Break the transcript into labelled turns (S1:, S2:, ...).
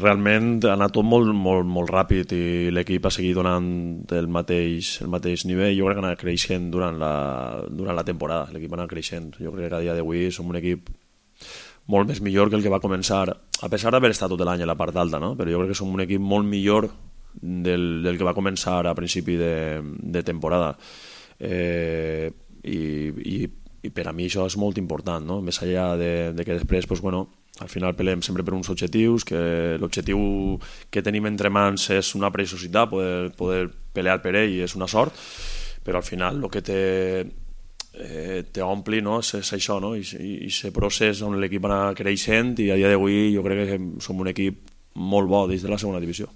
S1: Realment ha anat tot molt ràpid i l'equip ha seguit donant el mateix nivell. Jo crec que ha anat creixent durant la temporada. L'equip ha anat creixent. Jo crec que a dia d'avui som un equip molt més millor que el que va començar, a pesar d'haver estat tot l'any a la part alta, no? Però jo crec que som un equip molt millor del que va començar a principi de temporada. I per a mi això és molt important, no? Més enllà de que després, pues, bueno, al final pelem sempre per uns objectius, que l'objectiu que tenim entre mans és una preciositat, poder pelear per ell és una sort, però al final el que t'ompli, no? és això, no? I aquest procés on l'equip va anar creixent, i a dia d'avui jo crec que som un equip molt bo des de la segona divisió.